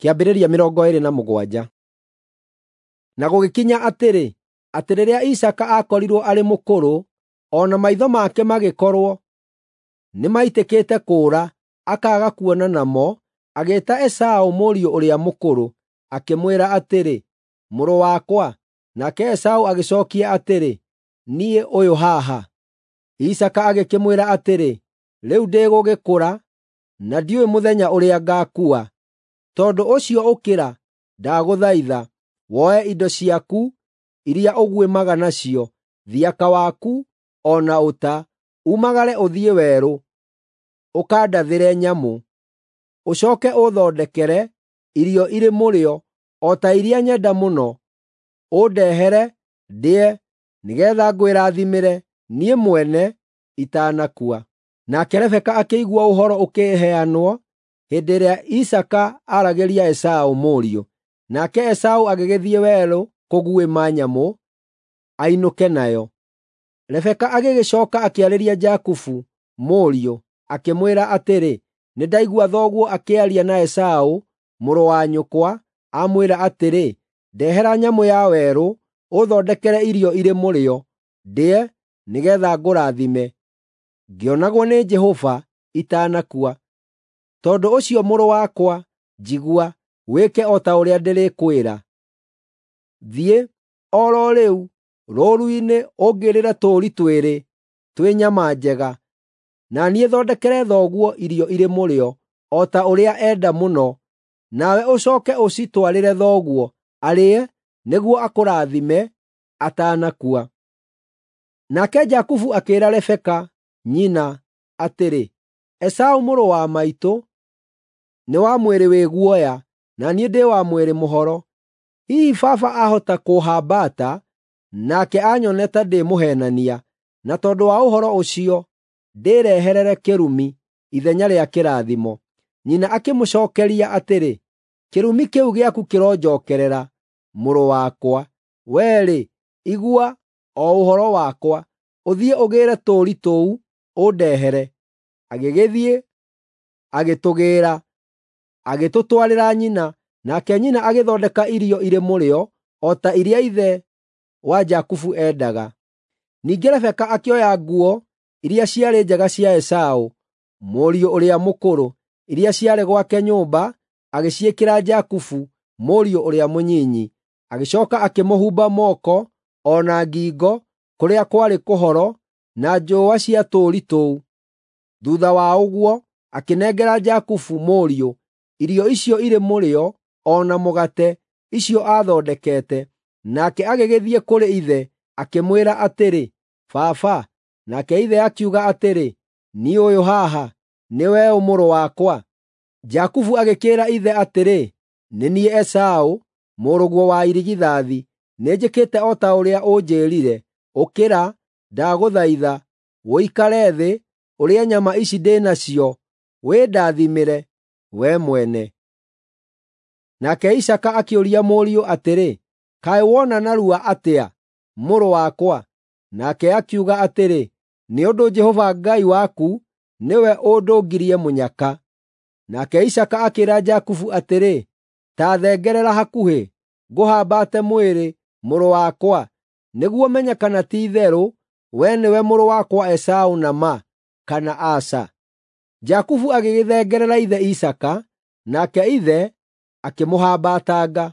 Kĩambĩrĩria 27. Na gũgĩkinya atĩrĩ, atĩ rĩrĩa Isaaka aakorirwo arĩ mũkũrũ, o na maitho make magĩkorwo nĩmaitĩkĩte kũũra akaaga kuona namo, agĩĩta Esaũ mũriũ ũrĩa mũkũrũ, akĩmwĩra atĩrĩ, “Mũrũ wakwa.” Nake Esaũ agĩcookia atĩrĩ, “Niĩ ũyũ haha.” Isaaka agĩkĩmwĩra atĩrĩ, “Rĩu ndĩgũgĩkũra, na ndiũĩ mũthenya ũrĩa ngaakua. Tondũ ũcio ũkĩra, ndagũthaitha, woe indo ciaku iria ũguĩmaga nacio, thiaka waku o na ũta, umagare ũthiĩ werũ, ũkandathĩre nyamũ. Ũcooke ũũthondekere irio irĩ mũrĩo o ta iria nyenda mũno, ũndehere, ndĩe, nĩgeetha ngwĩrathimĩre niĩ mwene itanakua.” Nake Rebeka akĩigua ũhoro ũkĩheanwo hĩndĩ ĩrĩa Isaaka aaragĩria Esaũ mũriũ. Nake Esaũ agĩgĩthiĩ werũ kũguĩma nyamũ ainũke nayo. Rebeka agĩgĩcooka akĩarĩria Jakubu mũriũ, akĩmwĩra atĩrĩ, “Nĩndaigua thoguo akĩaria na Esaũ mũrũ wa nyũkwa, amwĩra atĩrĩ, ‘Ndehera nyamũ ya werũ, ũthondekere irio irĩ mũrĩo, ndĩe, nĩgeetha ngũrathime, ngĩonagwo nĩ Jehova itanakua.’ Tondũ ũcio mũrũ wakwa, njigua, wĩke o ta ũrĩa ndĩrĩkwĩra. Thiĩ, o ro rĩu, rũũru-inĩ ũngĩĩrĩre tũũri twĩrĩ twĩ nyama njega, na niĩ thondekere thoguo irio irĩ mũrĩo, o ta ũrĩa enda mũno, nawe ũcooke ũcitwarĩre thoguo, arĩe, nĩguo akũrathime atanakua.” Nake Jakubu akĩĩra Rebeka nyina atĩrĩ, “Esaũ mũrũ wa maitũ nĩ wa mwĩrĩ wĩ guoya, na niĩ ndĩ wa mwĩrĩ mũhoro. Hihi baba ahota kũũhambata, nake anyone ta ndĩ mũheenania, na tondũ wa ũhoro ũcio ndĩĩreherere kĩrumi ithenya rĩa kĩrathimo.” Nyina akĩmũcookeria atĩrĩ, “Kĩrumi kĩu gĩaku kĩronjookerera, mũrũ wakwa. Wee-rĩ, igua o ũhoro wakwa, ũthiĩ ũgĩĩre tũũri tũu, ũndehere.” Agĩgĩthiĩ, agĩtũgĩĩra, agĩtũtwarĩra nyina, nake nyina agĩthondeka irio irĩ mũrĩo o ta iria ithe wa Jakubu endaga. Ningĩ Rebeka akĩoya nguo iria ciarĩ njega cia Esaũ, mũriũ ũrĩa mũkũrũ, iria ciarĩ gwake nyũmba, agĩciĩkĩra Jakubu, mũriũ ũrĩa mũnyinyi. Agĩcooka akĩmũhumba moko o na ngingo kũrĩa kwarĩ kũhoro na njũũa cia tũũri tũu. Thuutha wa ũguo, akĩnengera Jakubu mũriũ irio icio irĩ mũrĩo o na mũgate, icio aathondekete. Nake agĩgĩthiĩ kũrĩ ithe, akĩmwĩra atĩrĩ, “Baba.” Nake ithe akiuga atĩrĩ, “Niĩ ũyũ haha, nĩwe ũ mũrũ wakwa?” Jakubu agĩkĩĩra ithe atĩrĩ, “Nĩ niĩ Esaũ, mũrũguo wa irigithathi. Nĩnjĩkĩte o ta ũrĩa ũnjĩĩrire. Ũkĩra, ndagũthaitha, ũikare thĩ, ũrĩe nyama ici ndĩ nacio, wĩndathimĩre wee mwene.” Nake Isaaka akĩũria mũriũ atĩrĩ, “Kaĩ wona narua atĩa, mũrũ wakwa?” Nake akiuga atĩrĩ, “Nĩ ũndũ Jehova Ngai waku nĩwe ũndũngirie mũnyaka.” Nake Isaaka akĩĩra Jakubu atĩrĩ, “Ta thengerera hakuhĩ, ngũhambate mwĩrĩ, mũrũ wakwa, nĩguo menye kana ti-itherũ wee nĩwe mũrũ wakwa Esaũ na ma, kana aca.” Jakubu agĩgĩthengerera ithe Isaaka, nake ithe akĩmũhambatanga,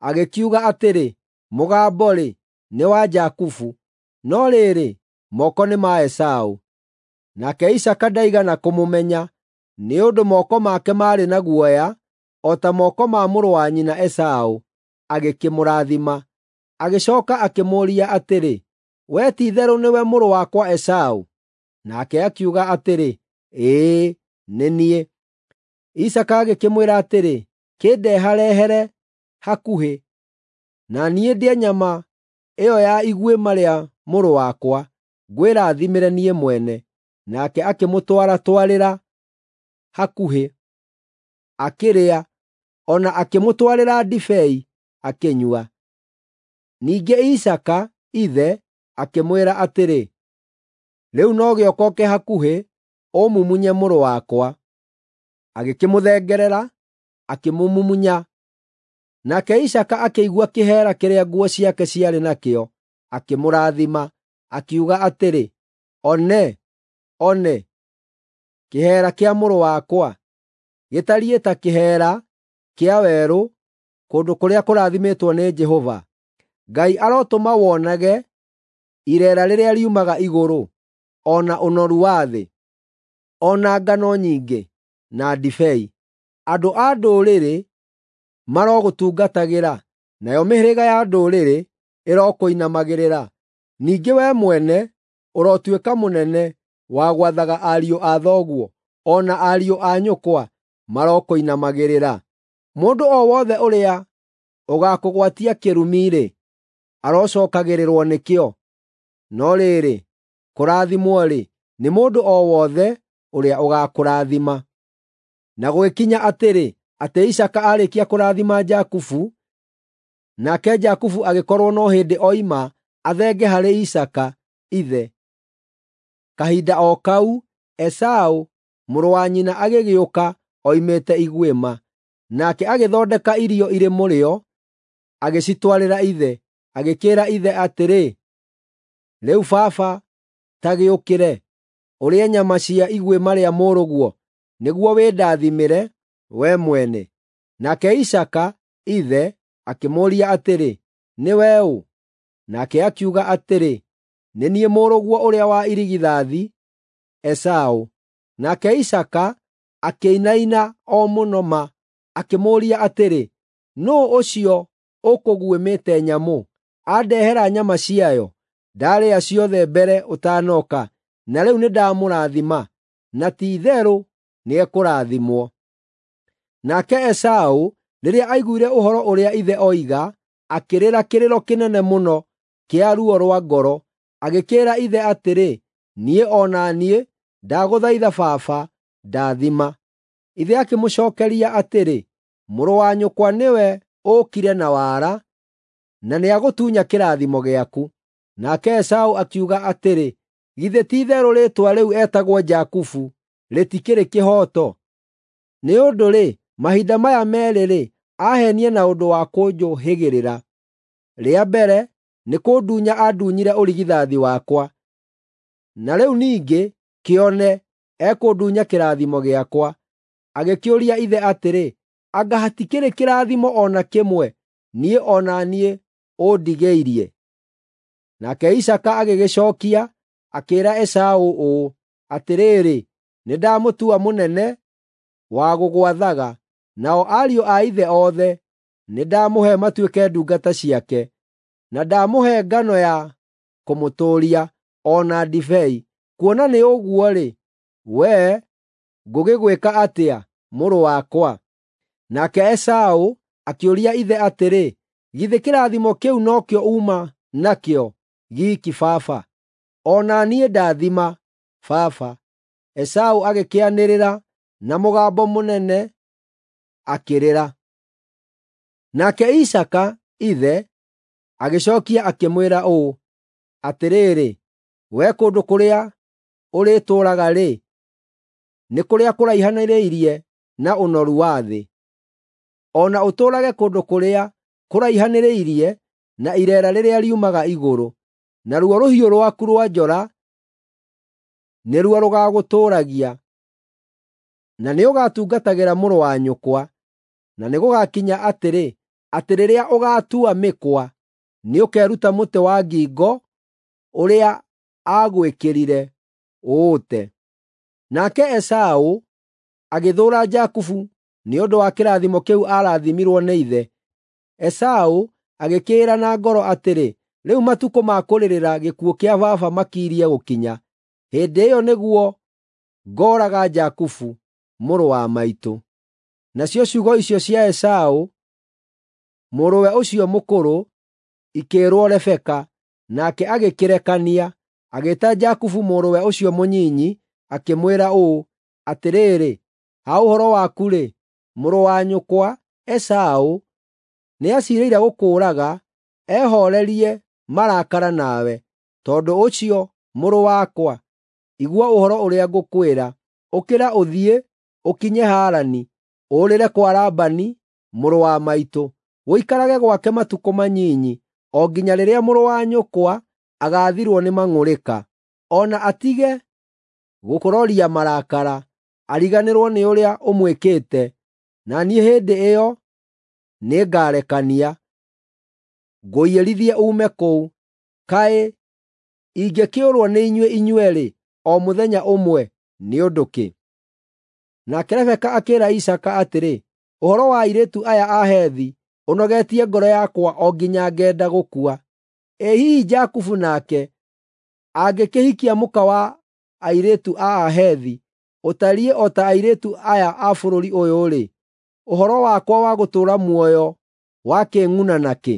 agĩkiuga atĩrĩ, “Mũgambo-rĩ, nĩ wa Jakubu, no rĩrĩ, moko nĩ ma Esaũ.” Nake Isaaka ndaigana kũmũmenya, nĩ ũndũ moko make maarĩ na guoya o ta moko ma mũrũ wa nyina Esaũ, agĩkĩmũrathima. Agĩcooka akĩmũũria atĩrĩ, “Wee ti-itherũ nĩwe mũrũ wakwa Esaũ?” Nake akiuga atĩrĩ, “Ĩĩ, nĩ niĩ.” Isaaka agĩkĩmwĩra atĩrĩ, “Kĩndeharehere hakuhĩ, na niĩ ndĩe nyama ĩyo ya iguĩma rĩa mũrũ wakwa, ngwĩrathimĩre niĩ mwene.” Nake akĩmũtwaratwarĩra hakuhĩ, akĩrĩa, o na akĩmũtwarĩra ndibei akĩnyua. Ningĩ Isaaka ithe akĩmwĩra atĩrĩ, “Rĩu no gĩũka ũũke hakuhĩ ũmumunye mũrũ wakwa.” Agĩkĩmũthengerera, akĩmũmumunya. Nake Isaaka akĩigua kĩheera kĩrĩa nguo ciake ciarĩ nakĩo, akĩmũrathima, akiuga atĩrĩ, "One, one, kĩheera kĩa mũrũ wakwa gĩtariĩ ta kĩheera kĩa werũ kũndũ kũrĩa kũrathimĩtwo nĩ Jehova. Ngai arotũma wonage ireera rĩrĩa riumaga igũrũ, o na ũnoru wa thĩ, o na ngano nyingĩ na ndibei. Andũ a ndũrĩrĩ marogũtungatagĩra, nayo mĩhĩrĩga ya ndũrĩrĩ ĩrokũinamagĩrĩra. Ningĩ wee mwene ũrotuĩka mũnene wa gwathaga ariũ a thoguo, o na ariũ a nyũkwa marokũinamagĩrĩra. Mũndũ o wothe ũrĩa ũgaakũgwatia kĩrumi-rĩ, arocookagĩrĩrwo nĩkĩo. No rĩrĩ, kũrathimwo-rĩ, nĩ mũndũ o wothe ũrĩa ũgaakũrathima." Na gũgĩkinya atĩrĩ, atĩ Isaaka aarĩkia kũrathima Jakubu, nake Jakubu agĩkorwo no hĩndĩ oima athenge harĩ Isaaka ithe. Kahinda o kau Esaũ mũrũ wa nyina agĩgĩũka oimĩte iguĩma, nake agĩthondeka irio irĩ mũrĩo, agĩcitwarĩra ithe, agĩkĩĩra ithe atĩrĩ, "Rĩu baba, ta gĩũkĩre, ũrĩe nyama cia iguĩma rĩa mũrũguo, nĩguo wĩndathimĩre we mwene." Nake Isaaka ithe akĩmũũria atĩrĩ, "Nĩwe ũ?" Nake akiuga atĩrĩ, "Nĩ niĩ mũrũguo ũrĩa wa irigithathi, Esaũ." Nake Isaaka akĩinaina o mũno ma, akĩmũũria atĩrĩ, "Nũũ ũcio ũkũguĩmĩte nyamũ, andehera nyama ciayo? Ndaarĩa ciothe mbere ũtanoka, na rĩu nĩndamũrathima, na ti-itherũ nĩekũrathimwo." Nake Esaũ rĩrĩa aiguire ũhoro ũrĩa ithe oiga, akĩrĩra kĩrĩro kĩnene mũno kĩa ruo rwa ngoro, agĩkĩĩra ithe atĩrĩ, "Niĩ o na niĩ ndagũthaitha baba, ndathima." Ithe akĩmũcookeria atĩrĩ, "Mũrũ wa nyũkwa nĩwe ũũkire na wara, na nĩagũtunya kĩrathimo gĩaku." Nake Esaũ akiuga atĩrĩ, "Githĩ ti-itherũ rĩĩtwa rĩu etagwo Jakubu rĩtikĩrĩ kĩhooto? Nĩ ũndũ-rĩ, mahinda maya meerĩ-rĩ, aheenie na ũndũ wa kũnjũhĩgĩrĩra. Rĩa mbere nĩ kũndunya andunyire ũrigithathi wakwa, na rĩu ningĩ kĩone ekũndunya kĩrathimo gĩakwa." Agĩkĩũria ithe atĩrĩ, "Anga hatikĩrĩ kĩrathimo o na kĩmwe niĩ o na niĩ ũndigĩirie?" Nake Isaaka agĩgĩcookia, akĩĩra Esaũ ũũ, "Atĩrĩrĩ, nĩndamũtua mũnene wa gũgwathaga, nao ariũ a ithe othe nĩndamũhe matuĩke ndungata ciake, na ndamũhe ngano ya kũmũtũũria, o na ndibei. Kuona nĩ ũguo-rĩ, wee ngũgĩgwĩka atĩa, mũrũ wakwa?" Nake Esaũ akĩũria ithe atĩrĩ, "Githĩ kĩrathimo kĩu nokĩo uuma nakĩo giiki, baba? O na niĩ ndathima, baba." Esaũ agĩkĩanĩrĩra na mũgambo mũnene akĩrĩra. Nake Isaaka ithe agĩcookia akĩmwĩra ũũ, "Atĩrĩrĩ, wee kũndũ kũrĩa ũrĩtũũraga-rĩ, nĩ kũrĩa kũraihanĩrĩirie na ũnoru wa thĩ, o na ũtũũrage kũndũ kũrĩa kũraihanĩrĩirie na ireera rĩrĩa riumaga igũrũ, naruo rũhiũ rwaku rwa njora nĩruo rũgaagũtũũragia, na nĩũgatungatagĩra mũrũ wa nyũkwa. Na nĩgũgakinya atĩrĩ, atĩ rĩrĩa ũgaatua mĩkwa, nĩũkeruta mũtĩ wa ngingo ũrĩa aagwĩkĩrire ũũte." Nake Esaũ agĩthũũra Jakubu nĩ ũndũ wa kĩrathimo kĩu aarathimirwo nĩ ithe. Esaũ agĩkĩĩra na ngoro atĩrĩ, "Rĩu matukũ ma kũrĩrĩra gĩkuũ kĩa baba makirie gũkinya. Hĩndĩ ĩyo nĩguo ngooraga Jakubu mũrũ wa maitũ." Nacio ciugo icio cia Esaũ mũrũwe ũcio mũkũrũ ikĩĩrwo Rebeka, nake agĩkĩrekania, agĩĩta Jakubu mũrũwe ũcio mũnyinyi, akĩmwĩra ũũ, "Atĩrĩrĩ, ha ũhoro waku-rĩ, mũrũ wa nyũkwa Esaũ nĩaciirĩire gũkũũraga ehoorerie marakara nawe. Tondũ ũcio, mũrũ wakwa, igua ũhoro ũrĩa ngũkwĩra. Ũkĩra ũthiĩ, ũkinye Harani. ũũrĩre kwa Labani, mũrũ wa maitũ, ũikarage gwake matukũ manyinyi, o nginya rĩrĩa mũrũ wa nyũkwa agaathirwo nĩ mang'ũrĩka, o na atige gũkũroria marakara, ariganĩrwo nĩ ũrĩa ũmwĩkĩte, na niĩ hĩndĩ ĩyo nĩngarekania, ngũiyĩrithie uume kũu. Kaĩ ingĩkĩũrwo nĩ inyuĩ inyuerĩ o mũthenya ũmwe nĩ ũndũ kĩ?” Nake Rebeka akĩĩra Isaaka atĩrĩ, “Ũhoro wa airĩtu aya a Hethi ũnogetie ngoro yakwa o nginya ngenda gũkua. Ĩ hihi Jakubu nake angĩkĩhikia mũka wa airĩtu a Ahethi ũtariĩ o ta airĩtu aya a bũrũri ũyũ-rĩ, ũhoro wakwa wa gũtũũra muoyo wakĩng'una nakĩ?”